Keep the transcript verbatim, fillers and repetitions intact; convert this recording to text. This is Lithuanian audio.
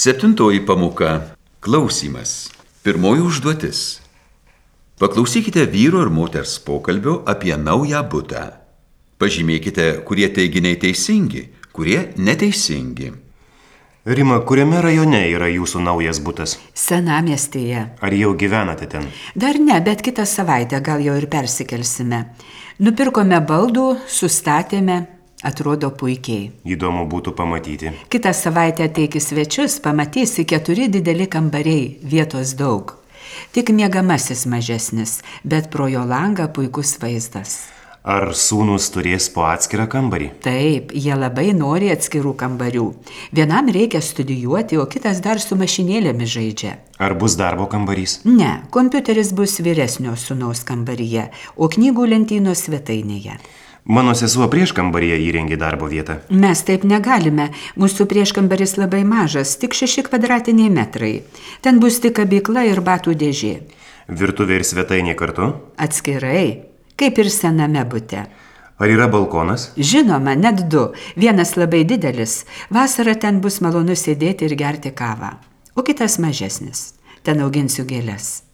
Septintoji pamoka – klausymas. Pirmoji užduotis. Paklausykite vyro ir moters pokalbio apie naują butą. Pažymėkite, kurie teiginiai teisingi, kurie neteisingi. Rima, kuriame rajone yra jūsų naujas butas? Senamiestyje. Ar jau gyvenate ten? Dar ne, bet kitą savaitę gal jau ir persikelsime. Nupirkome baldų, sustatėme, atrodo puikiai. Įdomu būtų pamatyti. Kitą savaitę ateik į svečius, pamatysi keturi dideli kambariai, vietos daug. Tik miegamasis mažesnis, bet pro jo langą puikus vaizdas. Ar sūnus turės po atskirą kambarį? Taip, jie labai nori atskirų kambarių. Vienam reikia studijuoti, o kitas dar su mašinėlėmis žaidžia. Ar bus darbo kambarys? Ne, kompiuteris bus vyresnio sūnaus kambaryje, o knygų lentynos svetainėje. Mano sesuo prieškambaryje įrengė darbo vietą. Mes taip negalime. Mūsų prieškambaris labai mažas, tik šeši kvadratiniai metrai. Ten bus tik kabykla ir batų dėžė. Virtuvė ir svetainė kartu? Atskirai, kaip ir sename bute. Ar yra balkonas? Žinoma, net du. Vienas labai didelis. Vasarą ten bus malonu sėdėti ir gerti kavą. O kitas mažesnis. Ten auginsiu gėles.